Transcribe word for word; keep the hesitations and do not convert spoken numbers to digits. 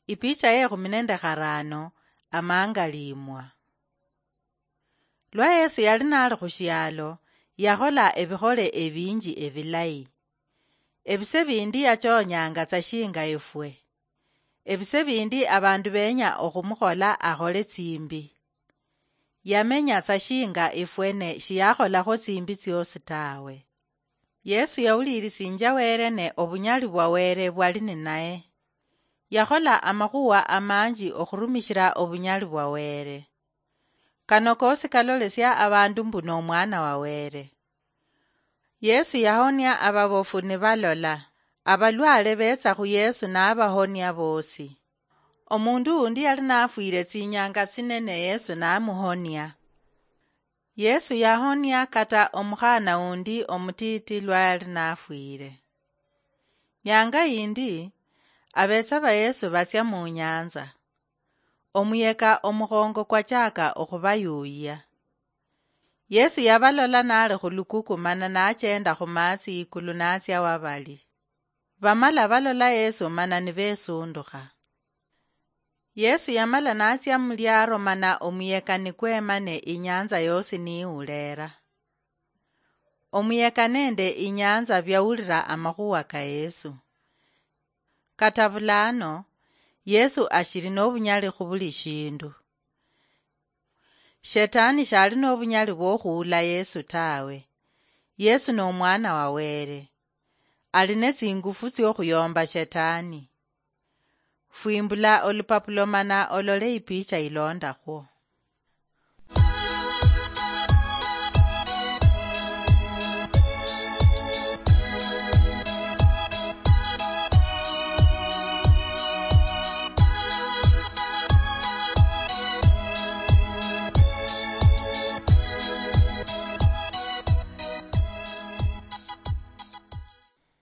Ipicha ye khumi nende kharano, amangaliimwa. Lwa Yesu yali nali khu shialo, yakhola ebikhole ebinji ebilayi. Ebise bindi yachoonyanga tsa shinga efwe. Ebise bindi abandu benya okhumukhola akhole tsimbi. Yamenya tsa shinga efwe ne shiyakholakho tsimbi tsiosi tawe. Yesu yawulirisinja Wele ne obunyali bwa Wele bwali ninaye. Yakhola amakhuwa amanji okhurumishila obunyali bwa Wele. Kano kosi kalolesia abandu mbu n'omwana wa Wele. Yesu yahonia ababofu nibalola, abalwale betsa khu Yesu nabahonia bosi. Omundu undi yali nafwile tsinyanga tsine ne Yesu namuhonia. Yesu yahonia kata omukhana undi omutiti lwa yali nafwile. Nyanga yindi, abetsa ba Yesu batsia mu nyanza. Omuyeka omukhongo kwachaka okhubayuyia. Yesu yabalola nali khulukuku mana nachenda khumatsi ikulu natsia wabali. Bamala balola Yesu mana nibesundukha. Yesu yamala natsia muliaro mana omuyeka nikwema ne inyanza yosi niulera. Omuyeka nende inyanza biawulira amakhuwa ka Yesu. Kata bulano, Yesu ashili nobunyali khubuli shindu. Shetani shali nobunyali bwokhuula Yesu tawe. Yesu nomwana wa Wele. Ali netsingufu tsiokhuyomba Shetani. Fwimbula olupapulo mana olole ipicha ilondakhwo.